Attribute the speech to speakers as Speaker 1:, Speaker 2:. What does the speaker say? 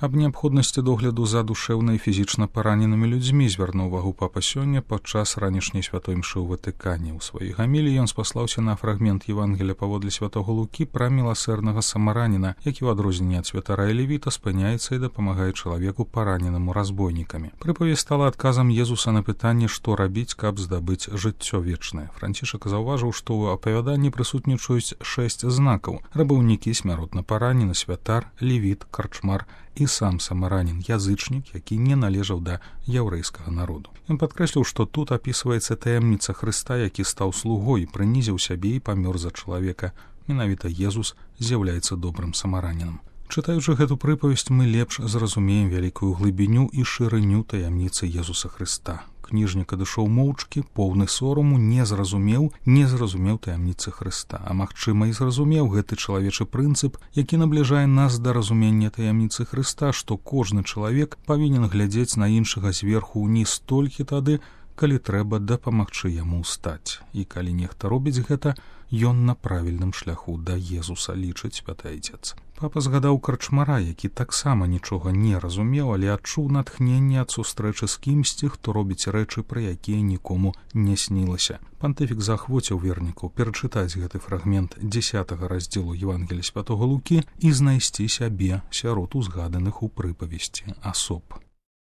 Speaker 1: Аб неабходнасці догляду за душэўна і фізічна параненымі людзьмі звярнуў увагу папа сёння падчас ранішняй святой імшы ў Ватыкане. У сваёй гаміліі ён спаслаўся на фрагмент Евангелія паводле святога Лукі пра міласэрнага самараніна, які ў адрозненне ад святара і левіта спыняецца і дапамагае чалавеку параненаму разбойнікамі. Прыпавесць стала адказам Езуса на пытанне, што рабіць, каб здабыць жыццё вечнае. Францішак заўважыў, што ў апавяданні прысутнічаюць 6 знакаў: рабаўнікі, смяротна паранены, святар, левіт, карчмар і сам самаранін, язычнік, які не належаў да яўрэйскага народу. Ён падкрэсліў, што тут апісваецца таямніца Хрыста, які стаў слугой, прынізіў сябе і памёр за чалавека. Менавіта Езус з'яўляецца добрым самаранінам. Чытаючы гэту прыпавесць, мы лепш зразумеем вялікую глыбіню і шырыню таямніцы Езуса Хрыста. Кніжнік адышоў моўчкі, поўны сораму, не зразумеў таямніцы Хрыста, а магчыма і зразумеў гэты чалавечы прынцып, які набліжае нас да разумення таямніцы Хрыста, што кожны чалавек павінен глядзець на іншага зверху ўніз толькі тады, калі трэба дапамагчы яму ўстаць. І калі нехта робіць гэта, ён на правільным шляху да Езуса, лічыць святы Айцец. Папа згадаў карчмара, які таксама нічога не разумеў, але адчуў натхненне ад сустрэчы з кімсьці, хто робіць рэчы, пра якія нікому не снілася. Пантыфік заахвоціў вернікаў перачытаць гэты фрагмент 10 раздзелу Евангелія святога Лукі і знайсці сябе сярод узгаданых у прыпавесці асоб.